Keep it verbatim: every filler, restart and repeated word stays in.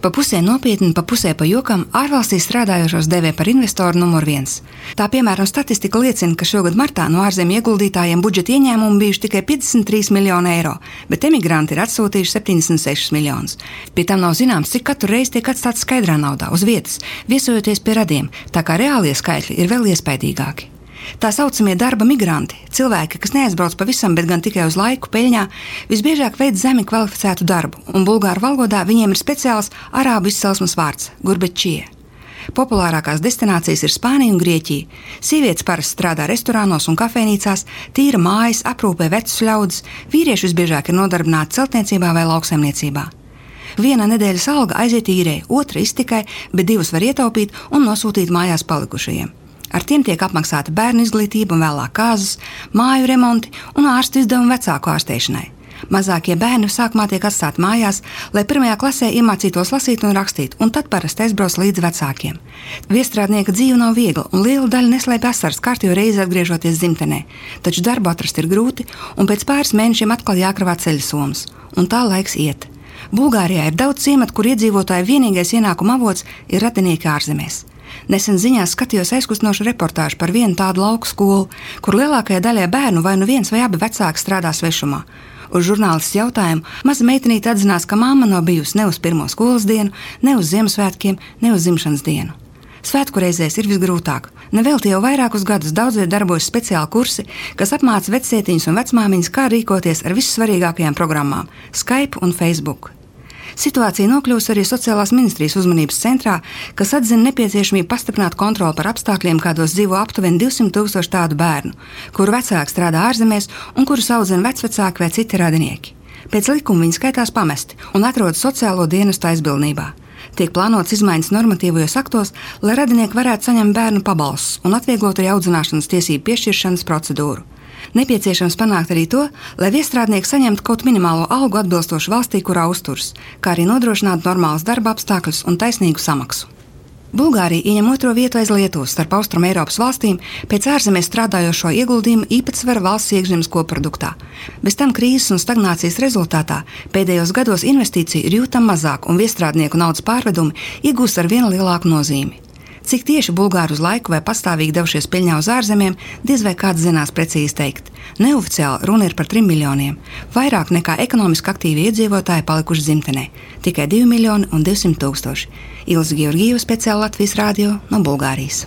Pa pusē nopietni, pa pusē pa jokam ārvalstīs strādājošos dēvē par investoru numur viens. Tā piemēram statistika liecina, ka šogad martā no ārzemju ieguldītājiem budžeta ieņēmumi bijuši tikai piecdesmit trīs miljoni eiro, bet emigranti ir atsūtījuši septiņdesmit sešus miljonus. Pie tam nav zināms, cik katru reizi tiek atstāts skaidrā naudā uz vietas, viesojoties pie radiem, tā kā reālie skaitļi ir vēl iespaidīgāki. Tā saucamie darba migranti, cilvēki, kas neaizbrauc pavisam, bet gan tikai uz laiku peļņā, visbiežāk veic zemi kvalificētu darbu, un bulgāru valodā viņiem ir speciāls arābu izcelsmes vārds – gurbetčie. Populārākās destinācijas ir Spānija un Grieķija. Sievietes parasti strādā restorānos un kafejnīcās, tīra mājas, aprūpē vecus ļaudis, vīrieši visbiežāk ir nodarbināti celtniecībā vai lauksaimniecībā. Viena nedēļas alga aiziet īrei, otra iztikai, bet divas var ietaupīt un nosūtīt mājās palikušajiem. Ar tiem tiek apmaksāta bērnu izglītība un vēlāk kāzas, māju remonti un ārstu izdevumi vecāku ārstēšanai. Mazākie bērni sākumā tiek atstāti mājās, lai pirmajā klasē iemācītos lasīt un rakstīt, un tad parasti aizbrauc līdz vecākiem. Viestrādnieka dzīve nav viegla, un liela daļa neslēpj asaras kārtīgi reizi atgriežoties dzimtenē, taču darbu atrast ir grūti, un pēc pāris mēnešiem atkal jākravā ceļsomas, un tā laiks iet. Bulgārijā ir daudz ciematu, kur iedzīvotāju vienīgais ienākuma avots ir radinieki ārzemēs. Nesen ziņās skatījos aizkustinošu reportāžu par vienu tādu lauku skolu, kur lielākajai daļai bērnu vai nu viens vai abi vecāki strādā svešumā. Uz žurnālists jautājumu maza meitenīte atzinās, ka mamma nav bijusi ne uz pirmo skolas dienu, ne uz Ziemassvētkiem, ne uz dzimšanas dienu. Svētku reizēs ir visgrūtāk. Nevelti jau vairākus gadus daudzviet darbojas speciāli kursi, kas apmāca vecsietiņus un vecmāmiņas, kā rīkoties ar vissvarīgākajām programmām – Skype un Facebook. Situācija nokļūst arī sociālās ministrijas uzmanības centrā, kas atzina nepieciešamību pastiprināt kontroli par apstākļiem, kādos dzīvo aptuveni divsimt tūkstoši tādu bērnu, kuru vecāki strādā ārzemēs un kurus audzina vecvecāki vai citi radinieki. Pēc likuma viņi skaitās pamesti un atrodas sociālo dienestu aizbildnībā. Tiek plānots izmaiņas normatīvajos aktos, lai radinieki varētu saņemt bērnu pabalstus un atvieglot arī audzināšanas tiesību piešķiršanas procedūru. Nepieciešams panākt arī to, lai viestrādnieki saņemtu kaut minimālo algu atbilstoši valstī, kurā uzturas, kā arī nodrošināt normālus darba apstākļus un taisnīgu samaksu. Bulgārija ieņem otro vietu aiz Lietuvas starp Austrum Eiropas valstīm pēc ārzemēs strādājošo ieguldījumu īpatsvara valsts iekšzemes koproduktā. Bez tam krīzes un stagnācijas rezultātā pēdējos gados investīciju ir jūtama mazāk un viestrādnieku naudas pārvedumi iegūst ar vien lielāku nozīmi. Cik tieši bulgāri uz laiku vai pastāvīgi devušies peļņā uz ārzemēm, diez vai kāds zinās precīzi teikt. Neoficiāli runa ir par trim miljoniem. Vairāk nekā ekonomiski aktīvi iedzīvotāji palikuši dzimtenē. Tikai divi miljoni un divsimt tūkstoši. Ilze Georgijeva, speciāli Latvijas radio no Bulgārijas.